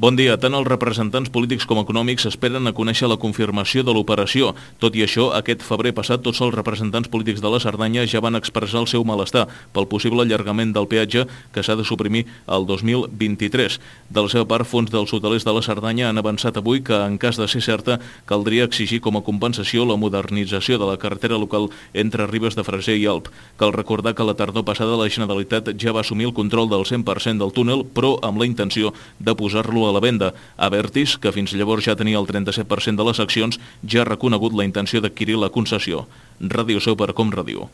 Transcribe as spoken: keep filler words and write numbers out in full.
Bon dia. Tant els representants polítics com econòmics esperen a conèixer la confirmació de l'operació. Tot i això, aquest febrer passat tots els representants polítics de la Cerdanya ja van expressar el seu malestar pel possible allargament del peatge que s'ha de suprimir el dos mil vint-i-tres. De la seva part, fons dels hotelers de la Cerdanya han avançat avui que, en cas de ser certa, caldria exigir com a compensació la modernització de la carretera local entre Ribes de Freser i Alp. Cal recordar que la tardor passada la Generalitat ja va assumir el control del cent per cent del túnel, però amb la intenció de posar-lo a la venda. Abertis, que fins llavors ja tenia el trenta-set per cent de les accions, ja ha reconegut la intenció d'adquirir la concessió. Ràdio Seu per Com Ràdio.